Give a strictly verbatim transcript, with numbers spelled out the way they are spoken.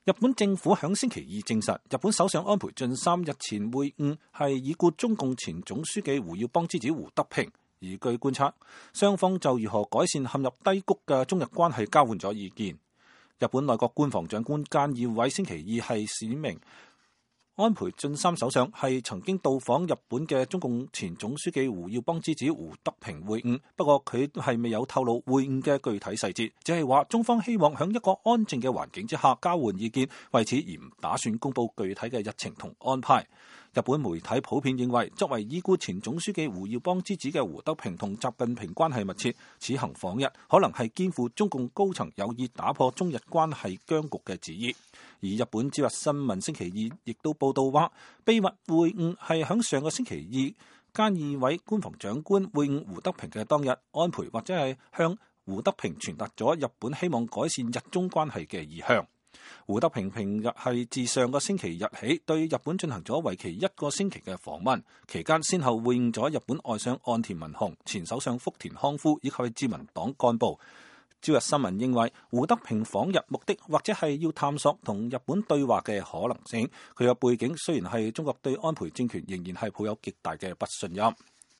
日本政府響星期二證實，日本首相安倍晉三日前會晤係已故中共前總書記胡耀邦之子胡德平，而據觀察，雙方就如何改善陷入低谷嘅中日關係交換咗意見。日本內閣官房長官菅義偉星期二係指明，安倍晉三首相係曾經到訪日本嘅中共前總書記胡耀邦之子胡德平會晤，不過佢係未有透露會晤嘅具體細節，只係話中方希望喺一個安靜嘅環境之下交換意見，為此而唔打算公布具體嘅日程同安排。日本媒體普遍認為，作為已故前總書記胡耀邦之子嘅胡德平同習近平關係密切，此行訪日可能係肩負中共高層有意打破中日關係僵局嘅旨意。而日本朝日新聞星期二亦都報道話，秘密會晤係響上個星期二菅義偉官房長官會晤胡德平嘅當日，安倍或者係向胡德平傳達咗日本希望改善日中關係嘅意向。胡德平平日係自上個星期日起對日本進行咗為期一個星期嘅訪問，期間先後會晤咗日本外相岸田文雄、前首相福田康夫以及自民黨幹部。朝日新聞認為，胡德平訪日目的或者係要探索同日本對話嘅可能性。佢嘅背景雖然係中國對安倍政權仍然係抱有極大嘅不信任。